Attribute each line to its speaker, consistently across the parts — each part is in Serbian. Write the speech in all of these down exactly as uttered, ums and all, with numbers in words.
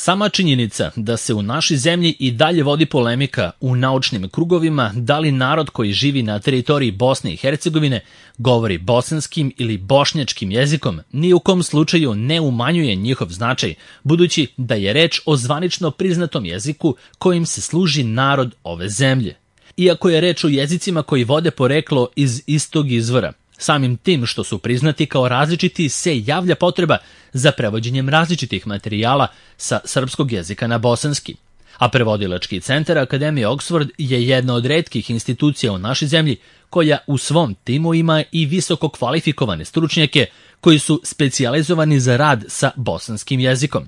Speaker 1: Sama činjenica da se u našoj zemlji i dalje vodi polemika u naučnim krugovima da li narod koji živi na teritoriji Bosne i Hercegovine govori bosanskim ili bošnjačkim jezikom ni u kom slučaju ne umanjuje njihov značaj, budući da je reč o zvanično priznatom jeziku kojim se služi narod ove zemlje. Iako je reč o jezicima koji vode poreklo iz istog izvora, samim tim što su priznati kao različiti se javlja potreba za prevođenjem različitih materijala sa srpskog jezika na bosanski. A prevodilački centar Akademije Oxford je jedna od retkih institucija u našoj zemlji koja u svom timu ima i visoko kvalifikovane stručnjake koji su specijalizovani za rad sa bosanskim jezikom.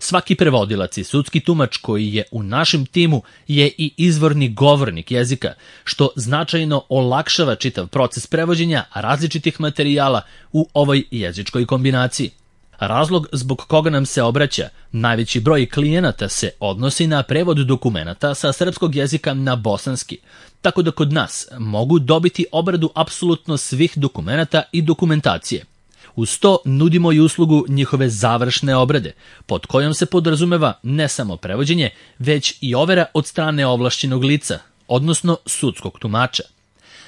Speaker 1: Svaki prevodilac i sudski tumač koji je u našem timu je i izvorni govornik jezika, što značajno olakšava čitav proces prevođenja različitih materijala u ovoj jezičkoj kombinaciji. Razlog zbog koga nam se obraća najveći broj klijenata se odnosi na prevod dokumenata sa srpskog jezika na bosanski, tako da kod nas mogu dobiti obradu apsolutno svih dokumenata i dokumentacije. Uz to nudimo i uslugu njihove završne obrade, pod kojom se podrazumeva ne samo prevođenje, već i overa od strane ovlašćenog lica, odnosno sudskog tumača.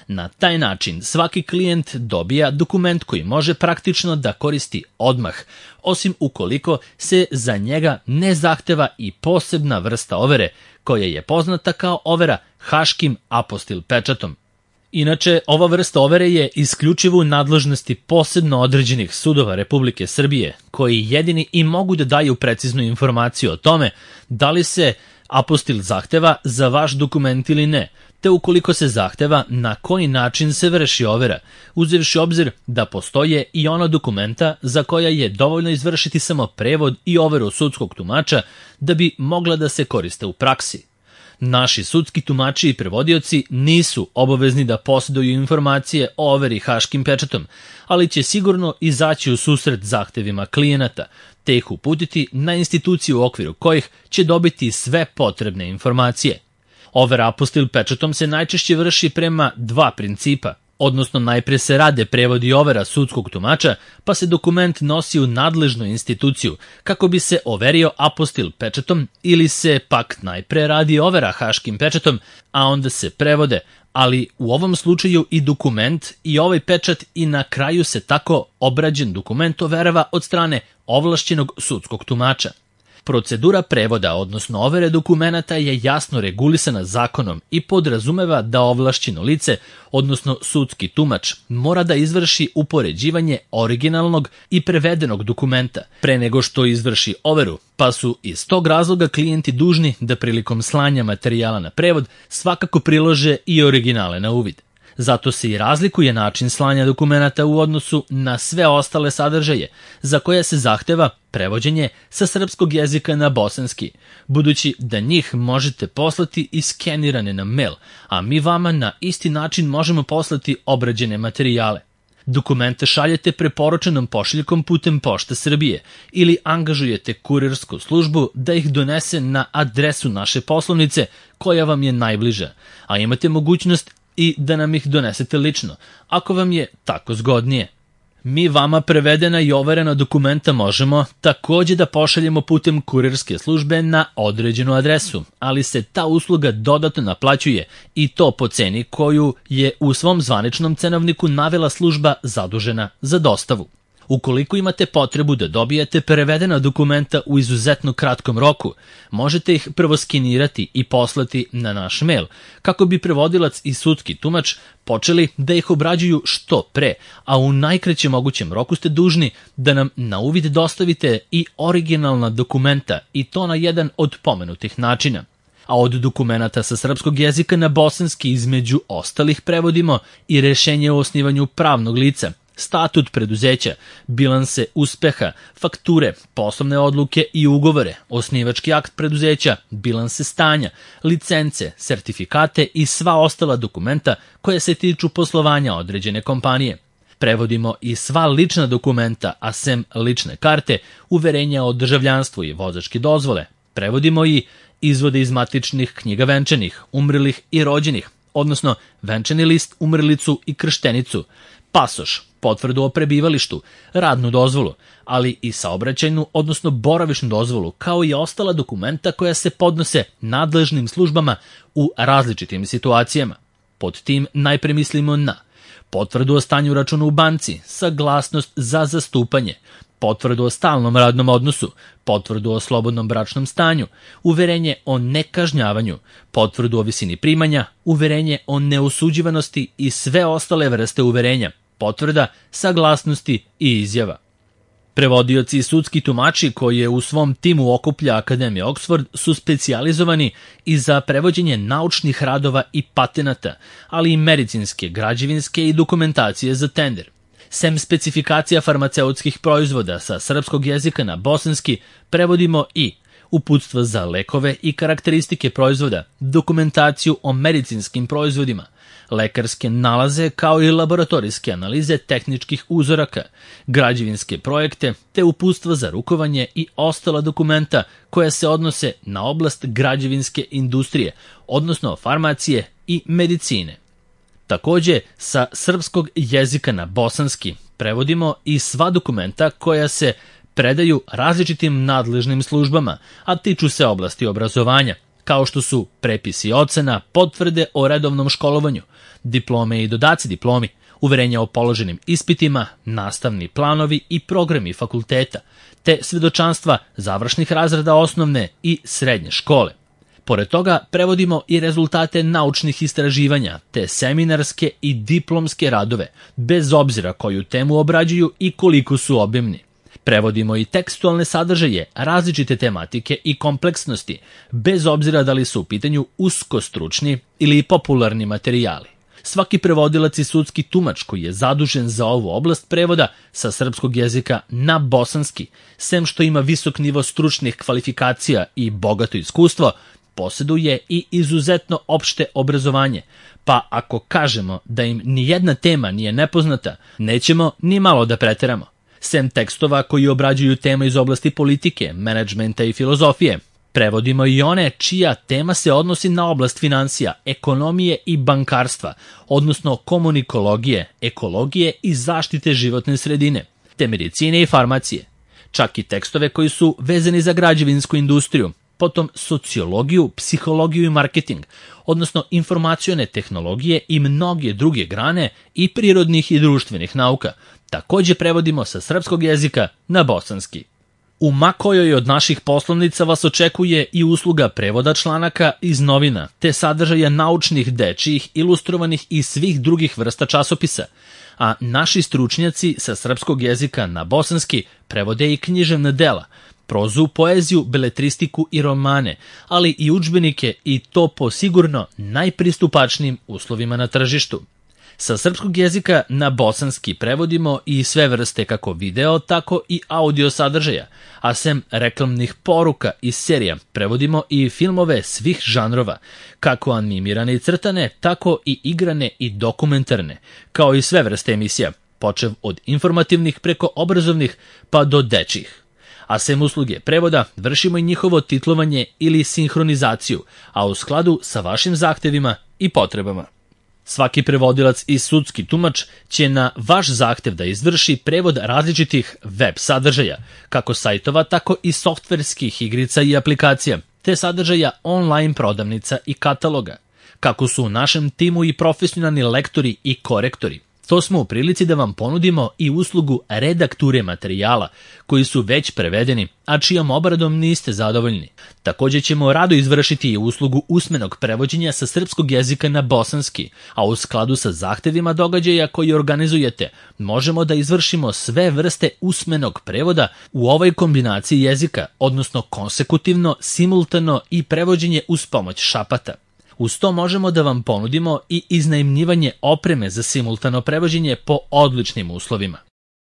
Speaker 1: Na taj način svaki klijent dobija dokument koji može praktično da koristi odmah, osim ukoliko se za njega ne zahteva i posebna vrsta overe, koja je poznata kao overa haškim apostil pečatom. Inače, ova vrsta overe je isključivo u nadležnosti posebno određenih sudova Republike Srbije, koji jedini i mogu da daju preciznu informaciju o tome da li se apostil zahteva za vaš dokument ili ne, te ukoliko se zahteva na koji način se vrši overa, uzevši obzir da postoje i ona dokumenta za koja je dovoljno izvršiti samo prevod i overu sudskog tumača da bi mogla da se koriste u praksi. Naši sudski tumači i prevodioci nisu obavezni da posjeduju informacije o overi haškim pečatom, ali će sigurno izaći u susret zahtevima klijenata, te ih uputiti na instituciju u okviru kojih će dobiti sve potrebne informacije. Overa apostil pečatom se najčešće vrši prema dva principa, odnosno najpre se rade prevod i overa sudskog tumača, pa se dokument nosi u nadležnu instituciju kako bi se overio apostil pečatom, ili se pak najpre radi overa haškim pečatom, a onda se prevode, ali u ovom slučaju i dokument i ovaj pečat i na kraju se tako obrađen dokument overava od strane ovlašćenog sudskog tumača. Procedura prevoda, odnosno overe dokumenata, je jasno regulisana zakonom i podrazumeva da ovlašćeno lice, odnosno sudski tumač, mora da izvrši upoređivanje originalnog i prevedenog dokumenta pre nego što izvrši overu, pa su iz tog razloga klijenti dužni da prilikom slanja materijala na prevod svakako prilože i originale na uvid. Zato se i razlikuje način slanja dokumenata u odnosu na sve ostale sadržaje, za koje se zahteva prevođenje sa srpskog jezika na bosanski, budući da njih možete poslati i skenirane na mail, a mi vama na isti način možemo poslati obrađene materijale. Dokumente šaljete preporučenom pošiljkom putem Pošte Srbije ili angažujete kurirsku službu da ih donese na adresu naše poslovnice koja vam je najbliža, a imate mogućnost i da nam ih donesete lično, ako vam je tako zgodnije. Mi vama prevedena i overena dokumenta možemo takođe da pošaljemo putem kurirske službe na određenu adresu, ali se ta usluga dodatno naplaćuje i to po ceni koju je u svom zvaničnom cenovniku navela služba zadužena za dostavu. Ukoliko imate potrebu da dobijete prevedena dokumenta u izuzetno kratkom roku, možete ih prvo skenirati i poslati na naš mail, kako bi prevodilac i sudski tumač počeli da ih obrađuju što pre, a u najkraćem mogućem roku ste dužni da nam na uvid dostavite i originalna dokumenta, i to na jedan od pomenutih načina. A od dokumenata sa srpskog jezika na bosanski između ostalih prevodimo i rešenje o osnivanju pravnog lica, statut preduzeća, bilanse uspeha, fakture, poslovne odluke i ugovore, osnivački akt preduzeća, bilanse stanja, licence, sertifikate i sva ostala dokumenta koja se tiču poslovanja određene kompanije. Prevodimo i sva lična dokumenta, a sem lične karte, uverenja o državljanstvu i vozačke dozvole. Prevodimo i izvode iz matičnih knjiga venčanih, umrlih i rođenih, odnosno venčani list, umrlicu i krštenicu, pasoš, potvrdu o prebivalištu, radnu dozvolu, ali i saobraćajnu, odnosno boravišnu dozvolu, kao i ostala dokumenta koja se podnose nadležnim službama u različitim situacijama. Pod tim najpre mislimo na potvrdu o stanju računa u banci, saglasnost za zastupanje, potvrdu o stalnom radnom odnosu, potvrdu o slobodnom bračnom stanju, uverenje o nekažnjavanju, potvrdu o visini primanja, uverenje o neosuđivanosti i sve ostale vrste uverenja, potvrda, saglasnosti i izjava. Prevodioci i sudski tumači koje u svom timu okuplja Akademija Oxford su specijalizovani i za prevođenje naučnih radova i patenata, ali i medicinske, građevinske i dokumentacije za tender. Sem specifikacija farmaceutskih proizvoda sa srpskog jezika na bosanski, prevodimo i uputstva za lekove i karakteristike proizvoda, dokumentaciju o medicinskim proizvodima, lekarske nalaze kao i laboratorijske analize tehničkih uzoraka, građevinske projekte te uputstva za rukovanje i ostala dokumenta koja se odnose na oblast građevinske industrije, odnosno farmacije i medicine. Takođe, sa srpskog jezika na bosanski prevodimo i sva dokumenta koja se predaju različitim nadležnim službama, a tiču se oblasti obrazovanja, kao što su prepisi ocena, potvrde o redovnom školovanju, diplome i dodaci diplomi, uverenja o položenim ispitima, nastavni planovi i programi fakulteta, te svedočanstva završnih razreda osnovne i srednje škole. Pored toga, prevodimo i rezultate naučnih istraživanja, te seminarske i diplomske radove, bez obzira koju temu obrađuju i koliko su obimni. Prevodimo i tekstualne sadržaje, različite tematike i kompleksnosti, bez obzira da li su u pitanju uskostručni ili popularni materijali. Svaki prevodilac i sudski tumač koji je zadužen za ovu oblast prevoda sa srpskog jezika na bosanski, sem što ima visok nivo stručnih kvalifikacija i bogato iskustvo, posjeduje i izuzetno opšte obrazovanje, pa ako kažemo da im nijedna tema nije nepoznata, nećemo ni malo da preteramo. Sem tekstova koji obrađuju teme iz oblasti politike, menadžmenta i filozofije, prevodimo i one čija tema se odnosi na oblast finansija, ekonomije i bankarstva, odnosno komunikologije, ekologije i zaštite životne sredine, te medicine i farmacije. Čak i tekstove koji su vezani za građevinsku industriju, potom sociologiju, psihologiju i marketing, odnosno informacione tehnologije i mnoge druge grane i prirodnih i društvenih nauka, takođe prevodimo sa srpskog jezika na bosanski. U makojoj od naših poslovnica vas očekuje i usluga prevoda članaka iz novina, te sadržaja naučnih, dečijih, ilustrovanih i svih drugih vrsta časopisa, a naši stručnjaci sa srpskog jezika na bosanski prevode i književna dela, prozu, poeziju, beletristiku i romane, ali i udžbenike i to po sigurno najpristupačnijim uslovima na tržištu. Sa srpskog jezika na bosanski prevodimo i sve vrste kako video, tako i audio sadržaja, a sem reklamnih poruka i serija prevodimo i filmove svih žanrova, kako animirane i crtane, tako i igrane i dokumentarne, kao i sve vrste emisija, počev od informativnih preko obrazovnih pa do dečjih. A sem usluge prevoda, vršimo i njihovo titlovanje ili sinhronizaciju, a u skladu sa vašim zahtevima i potrebama. Svaki prevodilac i sudski tumač će na vaš zahtev da izvrši prevod različitih web sadržaja, kako sajtova, tako i softverskih igrica i aplikacija, te sadržaja online prodavnica i kataloga. Kako su u našem timu i profesionalni lektori i korektori, to smo u prilici da vam ponudimo i uslugu redakture materijala koji su već prevedeni, a čijom obradom niste zadovoljni. Takođe ćemo rado izvršiti i uslugu usmenog prevođenja sa srpskog jezika na bosanski, a u skladu sa zahtevima događaja koji organizujete, možemo da izvršimo sve vrste usmenog prevoda u ovoj kombinaciji jezika, odnosno konsekutivno, simultano i prevođenje uz pomoć šapata. Uz to možemo da vam ponudimo i iznajmljivanje opreme za simultano prevođenje po odličnim uslovima.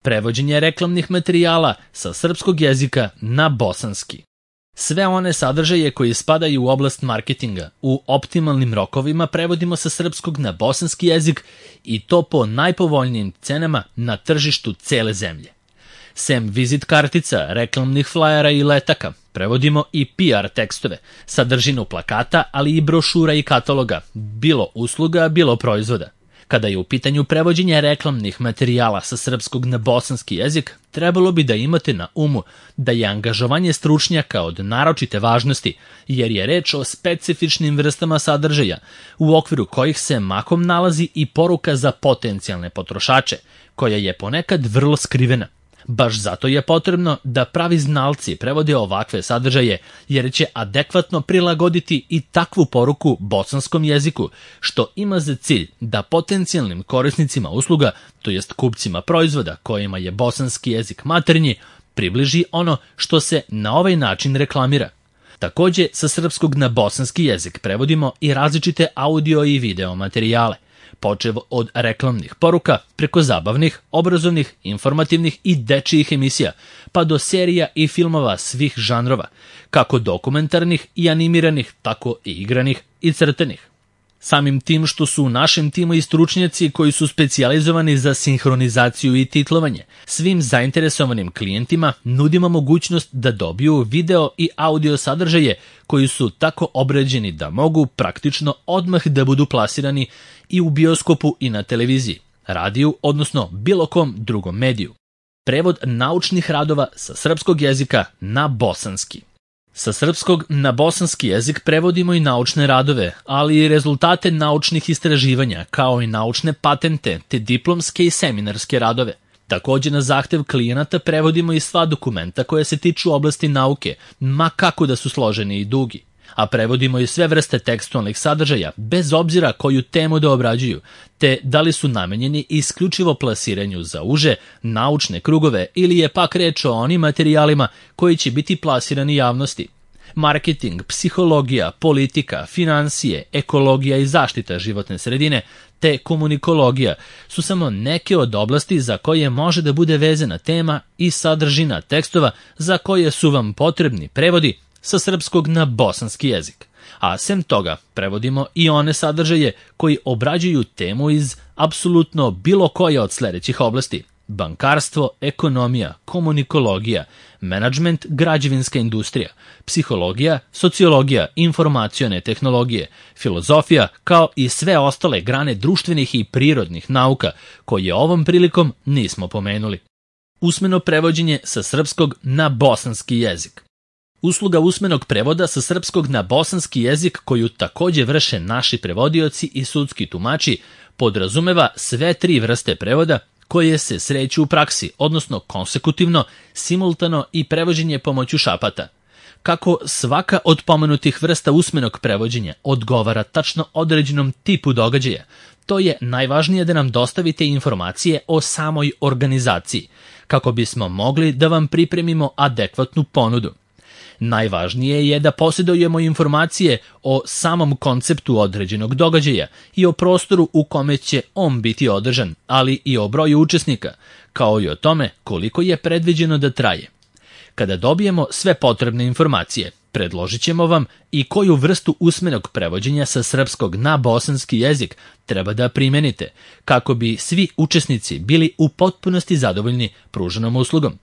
Speaker 1: Prevođenje reklamnih materijala sa srpskog jezika na bosanski. Sve one sadržaje koji spadaju u oblast marketinga u optimalnim rokovima prevodimo sa srpskog na bosanski jezik i to po najpovoljnijim cenama na tržištu cele zemlje. Sem vizit kartica, reklamnih flajera i letaka, prevodimo i P R tekstove, sadržinu plakata, ali i brošura i kataloga, bilo usluga, bilo proizvoda. Kada je u pitanju prevođenja reklamnih materijala sa srpskog na bosanski jezik, trebalo bi da imate na umu da je angažovanje stručnjaka od naročite važnosti, jer je reč o specifičnim vrstama sadržaja, u okviru kojih se mahom nalazi i poruka za potencijalne potrošače, koja je ponekad vrlo skrivena. Baš zato je potrebno da pravi znalci prevode ovakve sadržaje, jer će adekvatno prilagoditi i takvu poruku bosanskom jeziku, što ima za cilj da potencijalnim korisnicima usluga, to jest kupcima proizvoda kojima je bosanski jezik maternji, približi ono što se na ovaj način reklamira. Takođe, sa srpskog na bosanski jezik prevodimo i različite audio i video materijale, počev od reklamnih poruka, preko zabavnih, obrazovnih, informativnih i dečijih emisija, pa do serija i filmova svih žanrova, kako dokumentarnih i animiranih, tako i igranih i crtanih. Samim tim što su u našem timu i stručnjaci koji su specijalizovani za sinhronizaciju i titlovanje, svim zainteresovanim klijentima nudimo mogućnost da dobiju video i audio sadržaje koji su tako obrađeni da mogu praktično odmah da budu plasirani i u bioskopu i na televiziji, radiju, odnosno bilo kom drugom mediju. Prevod naučnih radova sa srpskog jezika na bosanski. Sa srpskog na bosanski jezik prevodimo i naučne radove, ali i rezultate naučnih istraživanja, kao i naučne patente, te diplomske i seminarske radove. Takođe, na zahtev klijenata prevodimo i sva dokumenta koja se tiču oblasti nauke, ma kako da su složeni i dugi. A prevodimo i sve vrste tekstualnih sadržaja, bez obzira koju temu da obrađuju, te da li su namenjeni isključivo plasiranju za uže, naučne krugove ili je pak reč o onim materijalima koji će biti plasirani javnosti. Marketing, psihologija, politika, finansije, ekologija i zaštita životne sredine, te komunikologija su samo neke od oblasti za koje može da bude vezana tema i sadržina tekstova za koje su vam potrebni prevodi sa srpskog na bosanski jezik. A sem toga, prevodimo i one sadržaje koji obrađuju temu iz apsolutno bilo koje od sledećih oblasti: bankarstvo, ekonomija, komunikologija, menadžment, građevinska industrija, psihologija, sociologija, informacione tehnologije, filozofija, kao i sve ostale grane društvenih i prirodnih nauka, koje ovom prilikom nismo pomenuli. Usmeno prevođenje sa srpskog na bosanski jezik. Usluga usmenog prevoda sa srpskog na bosanski jezik, koju takođe vrše naši prevodioci i sudski tumači, podrazumeva sve tri vrste prevoda koje se sreću u praksi, odnosno konsekutivno, simultano i prevođenje pomoću šapata. Kako svaka od pomenutih vrsta usmenog prevođenja odgovara tačno određenom tipu događaja, to je najvažnije da nam dostavite informacije o samoj organizaciji, kako bismo mogli da vam pripremimo adekvatnu ponudu. Najvažnije je da posjedujemo informacije o samom konceptu određenog događaja i o prostoru u kome će on biti održan, ali i o broju učesnika, kao i o tome koliko je predviđeno da traje. Kada dobijemo sve potrebne informacije, predložit ćemo vam i koju vrstu usmenog prevođenja sa srpskog na bosanski jezik treba da primenite, kako bi svi učesnici bili u potpunosti zadovoljni pruženom uslugom.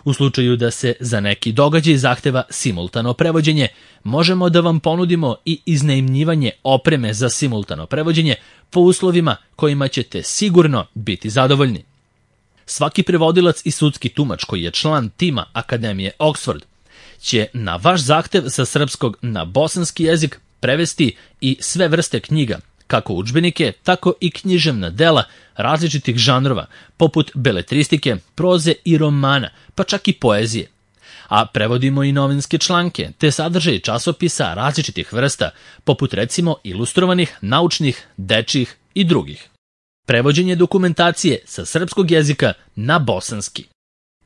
Speaker 1: U slučaju da se za neki događaj zahteva simultano prevođenje, možemo da vam ponudimo i iznajmljivanje opreme za simultano prevođenje po uslovima kojima ćete sigurno biti zadovoljni. Svaki prevodilac i sudski tumač koji je član tima Akademije Oxford će na vaš zahtev sa srpskog na bosanski jezik prevesti i sve vrste knjiga, kako udžbenike, tako i književna dela različitih žanrova, poput beletristike, proze i romana, pa čak i poezije. A prevodimo i novinske članke, te sadržaje časopisa različitih vrsta, poput recimo ilustrovanih, naučnih, dečjih i drugih. Prevođenje dokumentacije sa srpskog jezika na bosanski.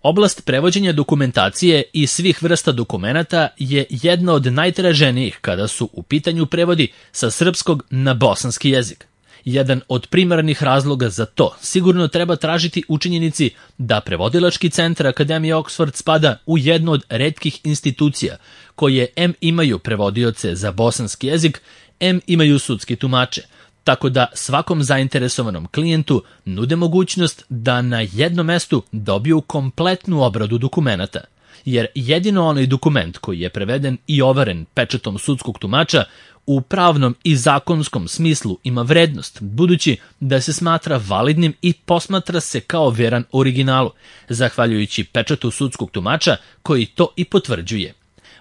Speaker 1: Oblast prevođenja dokumentacije i svih vrsta dokumenata je jedna od najtraženijih kada su u pitanju prevodi sa srpskog na bosanski jezik. Jedan od primarnih razloga za to sigurno treba tražiti u činjenici da Prevodilački centar Akademije Oxford spada u jednu od retkih institucija koje em imaju prevodioce za bosanski jezik, em imaju sudski tumače, tako da svakom zainteresovanom klijentu nude mogućnost da na jednom mestu dobiju kompletnu obradu dokumenata, jer jedino onaj dokument koji je preveden i overen pečatom sudskog tumača u pravnom i zakonskom smislu ima vrednost, budući da se smatra validnim i posmatra se kao veran originalu, zahvaljujući pečatu sudskog tumača koji to i potvrđuje.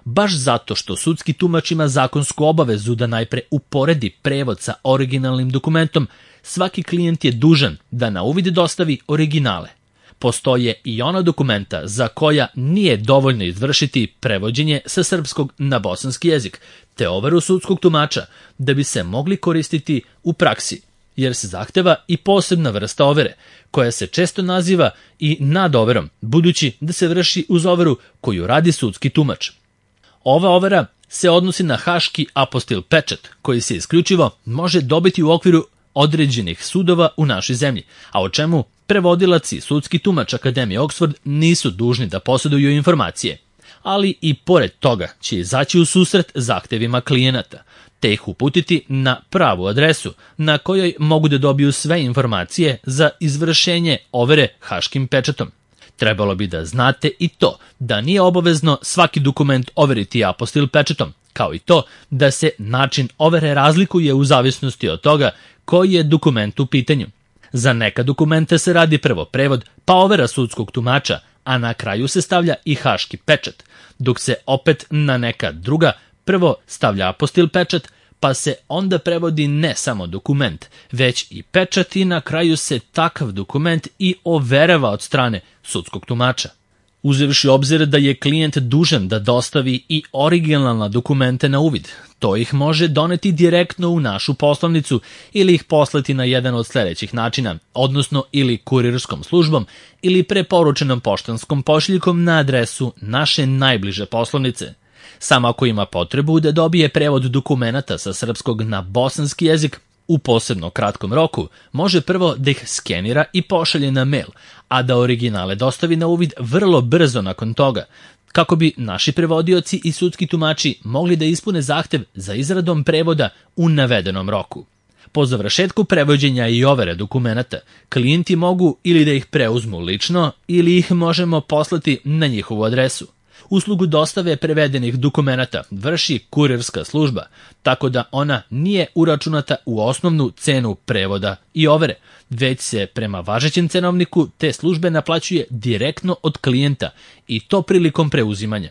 Speaker 1: Baš zato što sudski tumač ima zakonsku obavezu da najpre uporedi prevod sa originalnim dokumentom, svaki klijent je dužan da na uvid dostavi originale. Postoje i ona dokumenta za koja nije dovoljno izvršiti prevođenje sa srpskog na bosanski jezik, te overu sudskog tumača da bi se mogli koristiti u praksi, jer se zahteva i posebna vrsta overe, koja se često naziva i nadoverom, budući da se vrši uz overu koju radi sudski tumač. Ova overa se odnosi na haški apostil pečat, koji se isključivo može dobiti u okviru određenih sudova u našoj zemlji, a o čemu prevodilac i sudski tumač Akademije Oxford nisu dužni da posjeduju informacije, ali i pored toga će izaći u susret zahtevima klijenata, te ih uputiti na pravu adresu na kojoj mogu da dobiju sve informacije za izvršenje overe haškim pečatom. Trebalo bi da znate i to da nije obavezno svaki dokument overiti apostil pečatom, kao i to da se način overe razlikuje u zavisnosti od toga koji je dokument u pitanju. Za neka dokumenta se radi prvo prevod, pa overa sudskog tumača, a na kraju se stavlja i haški pečat, dok se opet na neka druga prvo stavlja apostil pečat, pa se onda prevodi ne samo dokument, već i pečat i na kraju se takav dokument i overava od strane sudskog tumača. Uzevši obzir da je klijent dužan da dostavi i originalna dokumente na uvid, to ih može doneti direktno u našu poslovnicu ili ih poslati na jedan od sljedećih načina, odnosno ili kurirskom službom ili preporučenom poštanskom pošiljkom na adresu naše najbliže poslovnice. Samo ako ima potrebu da dobije prevod dokumenata sa srpskog na bosanski jezik u posebno kratkom roku, može prvo da ih skenira i pošalje na mail, a da originale dostavi na uvid vrlo brzo nakon toga, kako bi naši prevodioci i sudski tumači mogli da ispune zahtev za izradom prevoda u navedenom roku. Po završetku prevođenja i overe dokumenata, klijenti mogu ili da ih preuzmu lično ili ih možemo poslati na njihovu adresu. Uslugu dostave prevedenih dokumenata vrši kurirska služba, tako da ona nije uračunata u osnovnu cenu prevoda i overe, već se prema važećem cenovniku te službe naplaćuje direktno od klijenta i to prilikom preuzimanja.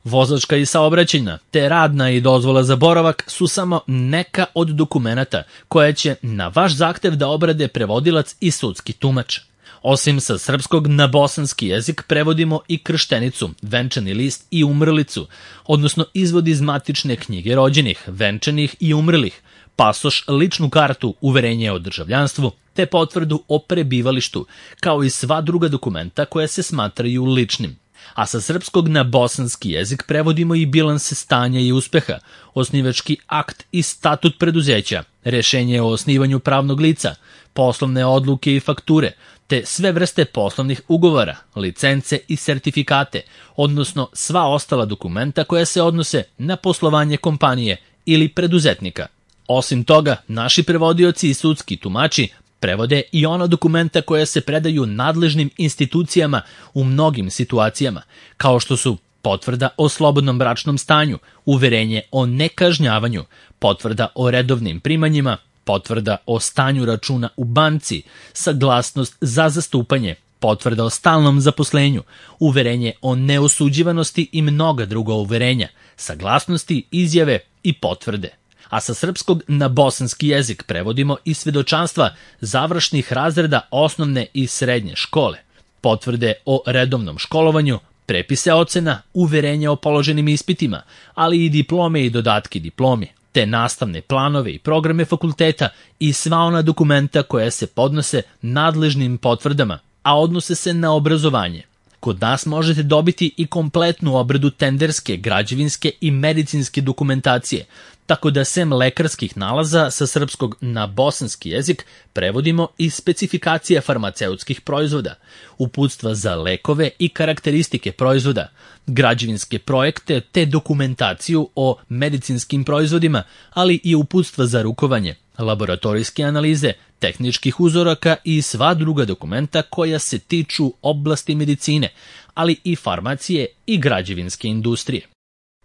Speaker 1: Vozačka i saobraćajna, te radna i dozvola za boravak su samo neka od dokumenata koje će na vaš zahtev da obrade prevodilac i sudski tumač. Osim sa srpskog na bosanski jezik prevodimo i krštenicu, venčani list i umrlicu, odnosno izvod iz matične knjige rođenih, venčanih i umrlih, pasoš, ličnu kartu, uverenje o državljanstvu, te potvrdu o prebivalištu, kao i sva druga dokumenta koja se smatraju ličnim. A sa srpskog na bosanski jezik prevodimo i bilanse stanja i uspeha, osnivački akt i statut preduzeća, rešenje o osnivanju pravnog lica, poslovne odluke i fakture, te sve vrste poslovnih ugovora, licence i sertifikate, odnosno sva ostala dokumenta koja se odnose na poslovanje kompanije ili preduzetnika. Osim toga, naši prevodioci i sudski tumači prevode i ona dokumenta koja se predaju nadležnim institucijama u mnogim situacijama, kao što su potvrda o slobodnom bračnom stanju, uverenje o nekažnjavanju, potvrda o redovnim primanjima, potvrda o stanju računa u banci, saglasnost za zastupanje, potvrda o stalnom zaposlenju, uverenje o neosuđivanosti i mnoga druga uverenja, saglasnosti, izjave i potvrde. A sa srpskog na bosanski jezik prevodimo i svedočanstva završnih razreda osnovne i srednje škole, potvrde o redovnom školovanju, prepise ocena, uverenja o položenim ispitima, ali i diplome i dodatki diplomi, te nastavne planove i programe fakulteta i sva ona dokumenta koja se podnose nadležnim potvrdama, a odnose se na obrazovanje. Kod nas možete dobiti i kompletnu obradu tenderske, građevinske i medicinske dokumentacije, tako da sem lekarskih nalaza sa srpskog na bosanski jezik prevodimo i specifikacije farmaceutskih proizvoda, uputstva za lekove i karakteristike proizvoda, građevinske projekte te dokumentaciju o medicinskim proizvodima, ali i uputstva za rukovanje, laboratorijske analize, tehničkih uzoraka i sva druga dokumenta koja se tiču oblasti medicine, ali i farmacije i građevinske industrije.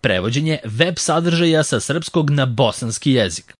Speaker 1: prevođenje web sadržaja sa srpskog na bosanski jezik.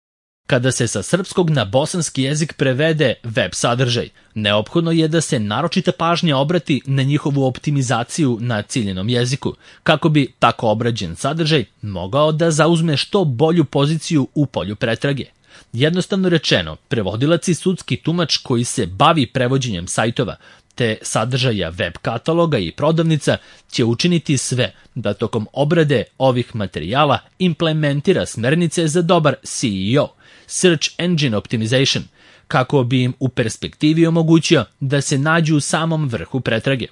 Speaker 1: Kada se sa srpskog na bosanski jezik prevede web sadržaj, neophodno je da se naročita pažnja obrati na njihovu optimizaciju na ciljenom jeziku, kako bi tako obrađen sadržaj mogao da zauzme što bolju poziciju u polju pretrage. Jednostavno rečeno, prevodilac i sudski tumač koji se bavi prevođenjem sajtova, te sadržaja web kataloga i prodavnica će učiniti sve da tokom obrade ovih materijala implementira smernice za dobar S E O, Search Engine Optimization, kako bi im u perspektivi omogućio da se nađu u samom vrhu pretrage.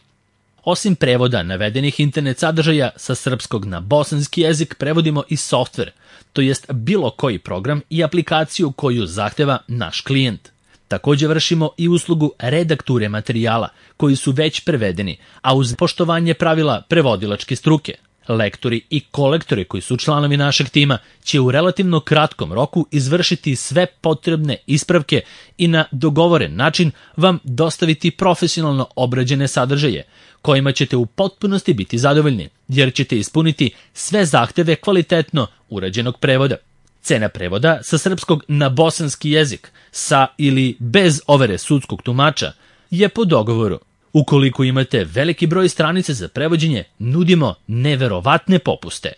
Speaker 1: Osim prevoda navedenih internet sadržaja sa srpskog na bosanski jezik prevodimo i softver, to jest bilo koji program i aplikaciju koju zahteva naš klijent. Također vršimo i uslugu redakture materijala koji su već prevedeni, a uz poštovanje pravila prevodilačke struke. Lektori i kolektori koji su članovi našeg tima će u relativno kratkom roku izvršiti sve potrebne ispravke i na dogovoren način vam dostaviti profesionalno obrađene sadržaje, kojima ćete u potpunosti biti zadovoljni, jer ćete ispuniti sve zahteve kvalitetno urađenog prevoda. Cena prevoda sa srpskog na bosanski jezik, sa ili bez overe sudskog tumača, je po dogovoru. Ukoliko imate veliki broj stranica za prevođenje, nudimo neverovatne popuste.